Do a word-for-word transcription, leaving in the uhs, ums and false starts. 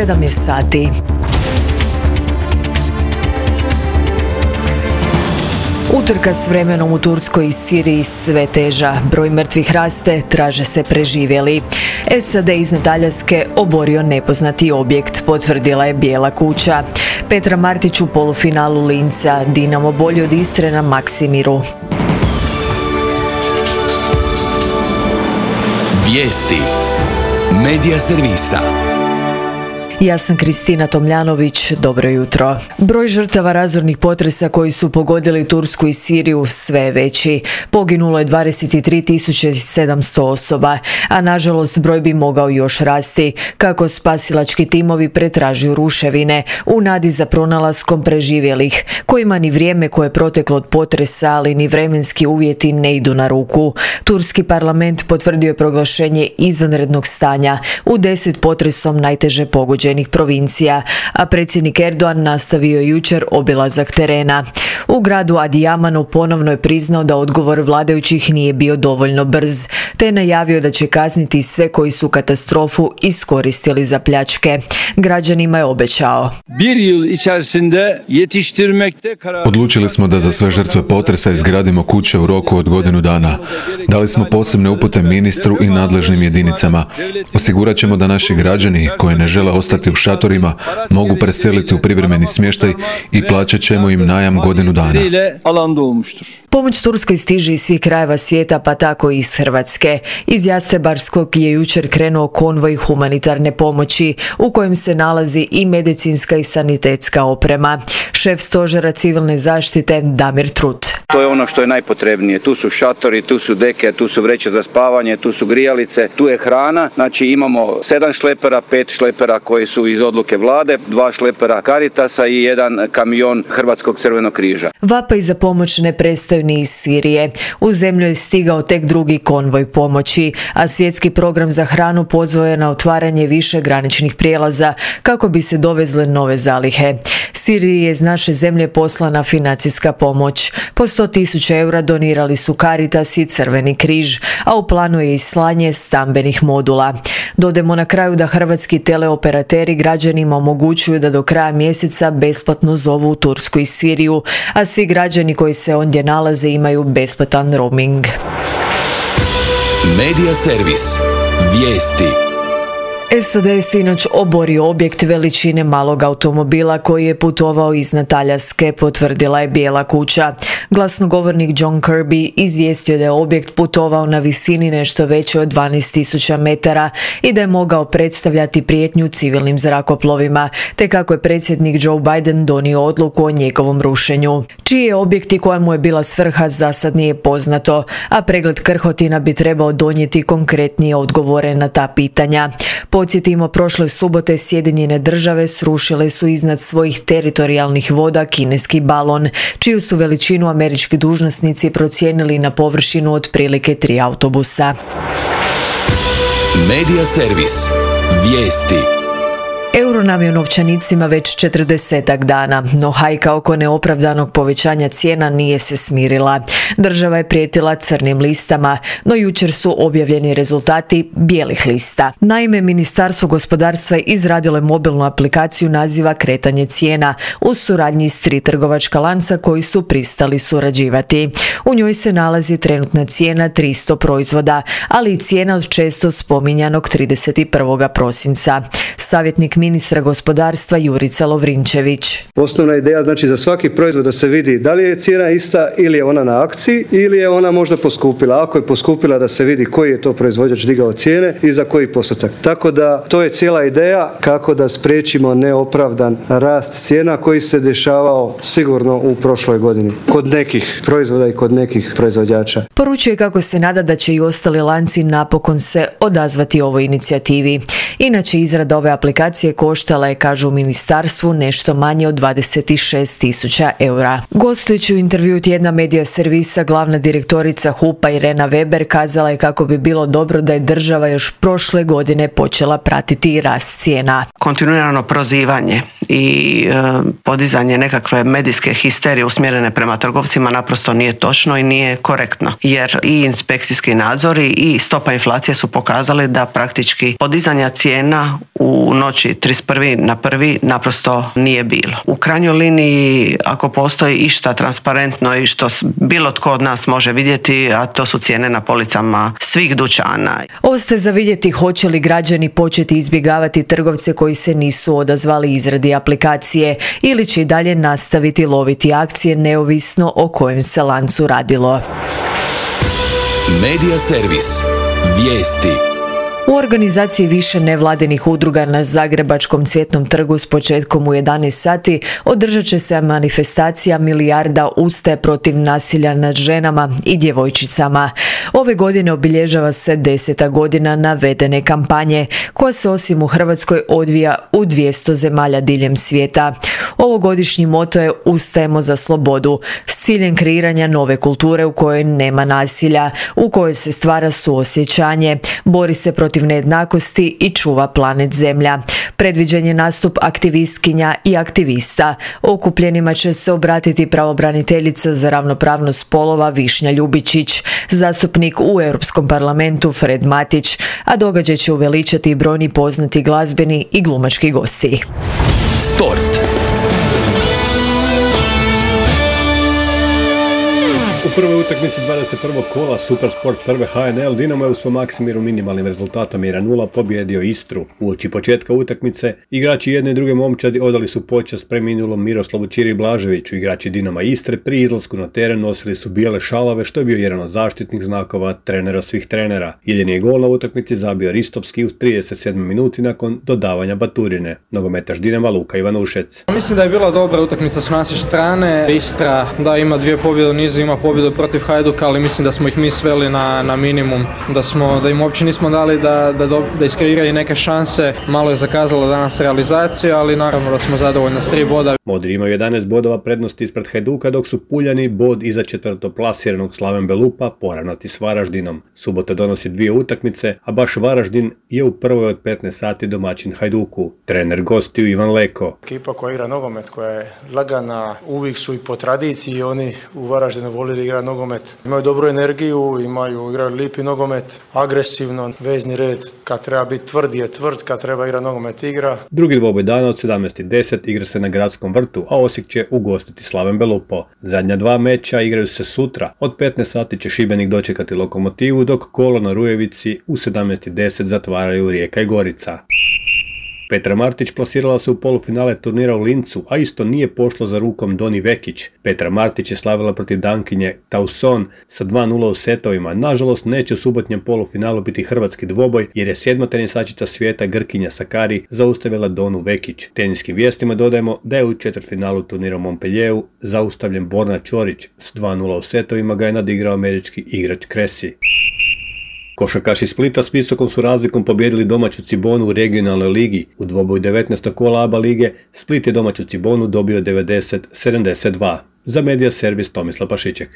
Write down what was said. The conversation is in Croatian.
sedam je sati. Utrka s vremenom u Turskoj i Siriji sve teža. Broj mrtvih raste, traže se preživjeli. S A D iznad Aljaske oborio nepoznati objekt, potvrdila je Bijela kuća. Petra Martić u polufinalu Linca, Dinamo bolji od Istre na Maksimiru. Vijesti Medija servisa. Ja sam Kristina Tomljanović, dobro jutro. Broj žrtava razornih potresa koji su pogodili Tursku i Siriju sve je veći. Poginulo je dvadeset tri tisuće sedamsto osoba, a nažalost broj bi mogao još rasti, kako spasilački timovi pretražuju ruševine u nadi za pronalaskom preživjelih, kojima ni vrijeme koje je proteklo od potresa, ali ni vremenski uvjeti ne idu na ruku. Turski parlament potvrdio je proglašenje izvanrednog stanja u deset potresom najteže pogođenih provincija, a predsjednik Erdogan nastavio jučer obilazak terena. U gradu Adijamanu ponovno je priznao da odgovor vladajućih nije bio dovoljno brz, te je najavio da će kazniti sve koji su katastrofu iskoristili za pljačke. Građanima je obećao. Odlučili smo da za sve žrtve potresa izgradimo kuće u roku od godinu dana. Dali smo posebne upute ministru i nadležnim jedinicama. Osigurat ćemo da naši građani koji ne žele ostati u šatorima mogu preseliti u privremeni smještaj i plaćat ćemo im najam godinu dana. Pomoć Turskoj stiže iz svih krajeva svijeta, pa tako i iz Hrvatske. Iz Jastrebarskog je jučer krenuo konvoj humanitarne pomoći u kojem se nalazi i medicinska i sanitetska oprema. Šef stožera civilne zaštite Damir Trut. To je ono što je najpotrebnije. Tu su šatori, tu su deke, tu su vreće za spavanje, tu su grijalice, tu je hrana. Znači imamo sedam šlepera, pet šlepera koji su iz odluke vlade, dva šlepera Caritasa i jedan kamion Hrvatskog crvenog križa. Vapaj za pomoć ne prestaju ni iz Sirije. U zemlju je stigao tek drugi konvoj pomoći, a svjetski program za hranu pozvao je na otvaranje više graničnih prijelaza kako bi se dovezle nove zalihe. Siriji je iz naše zemlje poslana financijska pomoć. Po sto tisuća eura donirali su Caritas i Crveni križ, a u planu je i slanje stambenih modula. Dodajmo na kraju da hrvatski teleoperateri građanima omogućuju da do kraja mjeseca besplatno zovu u Tursku i Siriju, a svi građani koji se ondje nalaze imaju besplatan roaming. Medija servis. Vijesti. S A D je sinoć oborio objekt veličine malog automobila koji je putovao iznad Aljaske, potvrdila je Bijela kuća. Glasnogovornik John Kirby izvijestio da je objekt putovao na visini nešto veće od dvanaest tisuća metara i da je mogao predstavljati prijetnju civilnim zrakoplovima, te kako je predsjednik Joe Biden donio odluku o njegovom rušenju. Čiji je objekt i koja mu je bila svrha za sad nije poznato, a pregled krhotina bi trebao donijeti konkretnije odgovore na ta pitanja. Podsjetimo, prošle subote Sjedinjene države srušile su iznad svojih teritorijalnih voda kineski balon, čiju su veličinu američki dužnosnici procijenili na površinu otprilike tri autobusa. Medija servis. Vijesti. Euro nam je u novčanicima već četrdesetak dana, no hajka oko neopravdanog povećanja cijena nije se smirila. Država je prijetila crnim listama, no jučer su objavljeni rezultati bijelih lista. Naime, Ministarstvo gospodarstva je izradilo je mobilnu aplikaciju naziva Kretanje cijena u suradnji s tri trgovačka lanca koji su pristali surađivati. U njoj se nalazi trenutna cijena tristo proizvoda, ali i cijena od često spominjanog trideset prvog prosinca. Savjetnik ministra gospodarstva Jurica Lovrinčević. Osnovna ideja znači za svaki proizvod da se vidi da li je cijena ista ili je ona na akciji ili je ona možda poskupila. Ako je poskupila da se vidi koji je to proizvođač digao cijene i za koji postotak. Tako da to je cijela ideja kako da spriječimo neopravdan rast cijena koji se dešavao sigurno u prošloj godini kod nekih proizvoda i kod nekih proizvođača. Poručuje kako se nada da će i ostali lanci napokon se odazvati ovoj inicijativi. Inače, izrada ove aplikacije koštala je, kažu u ministarstvu, nešto manje od dvadeset šest tisuća eura. Gostujući u intervju tjedna Medija servisa, glavna direktorica H U P-a Irena Weber kazala je kako bi bilo dobro da je država još prošle godine počela pratiti rast cijena. Kontinuirano prozivanje i e, podizanje nekakve medijske histerije usmjerene prema trgovcima naprosto nije točno i nije korektno. Jer i inspekcijski nadzori i stopa inflacije su pokazali da praktički podizanja cijena u noći trideset prvi na prvi naprosto nije bilo. U krajnjoj liniji, ako postoji išta transparentno i što bilo tko od nas može vidjeti, a to su cijene na policama svih dućana. Ostaje za vidjeti hoće li građani početi izbjegavati trgovce koji se nisu odazvali izradi aplikacije ili će i dalje nastaviti loviti akcije neovisno o kojem se lancu radilo. Medija servis. Vijesti. U organizaciji više nevladinih udruga na Zagrebačkom Cvjetnom trgu s početkom u jedanaest sati održat će se manifestacija Milijarda ustaje protiv nasilja nad ženama i djevojčicama. Ove godine obilježava se deseta godina navedene kampanje, koja se osim u Hrvatskoj odvija u dvjesto zemalja diljem svijeta. Ovogodišnji moto je Ustajemo za slobodu, s ciljem kreiranja nove kulture u kojoj nema nasilja, u kojoj se stvara suosjećanje, bori se protiv nejednakosti i čuva planet Zemlja. Predviđen je nastup aktivistkinja i aktivista. Okupljenima će se obratiti pravobraniteljica za ravnopravnost spolova Višnja Ljubičić, zastupnik u Europskom parlamentu Fred Matić, a događaj će uveličati i brojni poznati glazbeni i glumački gosti. Sport. U prvoj utakmici dvadeset prvog kola Supersport prve H N L Dinamo je u svom Maksimiru minimalnim rezultatom jedan nula pobjedio Istru. Uoči početka utakmice igrači jedne i druge momčadi odali su počast preminulom Miroslavu Čiri Blaževiću. Igrači Dinama Istre pri izlasku na teren nosili su bijele šalove, što je bio jedan od zaštitnih znakova trenera svih trenera. Jedini je gol na utakmici zabio Ristovski u trideset sedmoj minuti nakon dodavanja baturine. Nogometaš Dinama Luka Ivanušec. Mislim da je bila dobra utakmica s naše strane. Istra da ima dvije pobjede u nizu, ima pobjedu protiv Hajduka, ali mislim da smo ih mi sveli na, na minimum, da, smo, da im uopće nismo dali da, da, da iskreiraju neke šanse. Malo je zakazala danas realizacija, ali naravno da smo zadovoljni s tri boda. Modri imaju jedanaest bodova prednosti ispred Hajduka, dok su Puljani bod iza četvrtoplasiranog Slaven Belupa poravnati s Varaždinom. Subota donosi dvije utakmice, a baš Varaždin je u prvoj od petnaest sati domaćin Hajduku. Trener gostiju Ivan Leko. Ekipa koja igra nogomet, koja je lagana, uvijek su i po tradiciji, oni u Varaždinu volili igrati nogomet. Imaju dobru energiju, imaju, igraju lipi nogomet, agresivno, vezni red, kad treba biti tvrd je tvrd, kad treba igrati nogomet igra. Drugi dvoboj dana od sedamnaest i deset igra se na Gradskom vrtu, a Osijek će ugostiti Slaven Belupo. Zadnja dva meča igraju se sutra. Od petnaest sati će Šibenik dočekati Lokomotivu, dok kolo na Rujevici u sedamnaest i deset zatvaraju Rijeka i Gorica. Petra Martić plasirala se u polufinale turnira u Lincu, a isto nije pošlo za rukom Doni Vekić. Petra Martić je slavila protiv Dankinje Tauson sa dva nula u setovima. Nažalost, neće u subotnjem polufinalu biti hrvatski dvoboj, jer je sedma tenisačica svijeta Grkinja Sakari zaustavila Donu Vekić. Teniskim vijestima dodajemo da je u četvrtfinalu turnira u Montpellieru zaustavljen Borna Ćorić. S dva nula u setovima ga je nadigrao američki igrač Cressy. Košarkaši Splita s visokom su razlikom pobjedili domaću Cibonu u regionalnoj ligi. U dvoboju devetnaestog kola A B A lige Split je domaću Cibonu dobio devedeset sedamdeset dva. Za Medija servis Tomislav Pašiček.